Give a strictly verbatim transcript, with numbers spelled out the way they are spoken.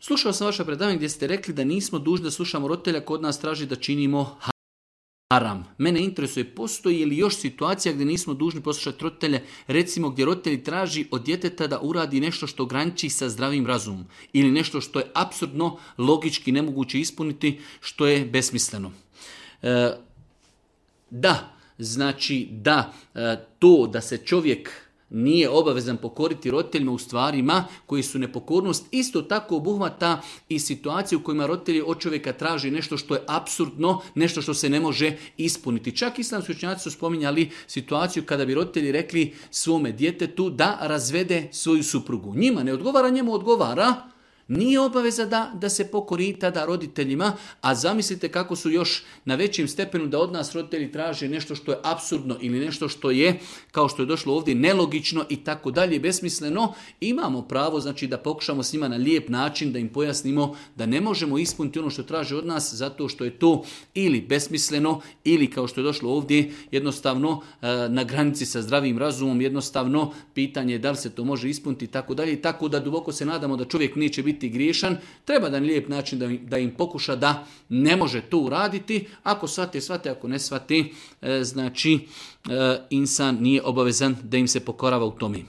Slušao sam vaše predavanje gdje ste rekli da nismo dužni da slušamo roditelja, kod nas traži da činimo haram. Mene interesuje, postoji li još situacija gdje nismo dužni poslušati roditelje, recimo gdje roditelji traži od djeteta da uradi nešto što graniči sa zdravim razumom ili nešto što je apsurdno, logički nemoguće ispuniti, što je besmisleno. E, da, znači da e, to da se čovjek nije obavezan pokoriti roditeljima u stvarima koji su nepokornost, isto tako obuhvata i situaciju u kojima roditelji od čovjeka traži nešto što je apsurdno, nešto što se ne može ispuniti. Čak islamski učenjaci su spominjali situaciju kada bi roditelji rekli svome djetetu da razvede svoju suprugu. Njima ne odgovara, njemu odgovara. Nije obaveza da, da se pokori tada roditeljima, a zamislite kako su još na većim stepenu da od nas roditelji traže nešto što je apsurdno ili nešto što je, kao što je došlo ovdje, nelogično i tako dalje, besmisleno. Imamo pravo, znači, da pokušamo s njima na lijep način da im pojasnimo da ne možemo ispuniti ono što traže od nas zato što je to ili besmisleno ili, kao što je došlo ovdje, jednostavno na granici sa zdravim razumom, jednostavno pitanje je da li se to može ispuniti i tako dalje. Tako da duboko se nadamo da čovjek neće biti griješan, treba da na lijep način da im, da im pokuša da ne može to uraditi. Ako shvate, shvate, ako ne shvate, znači insan nije obavezan da im se pokorava u tome.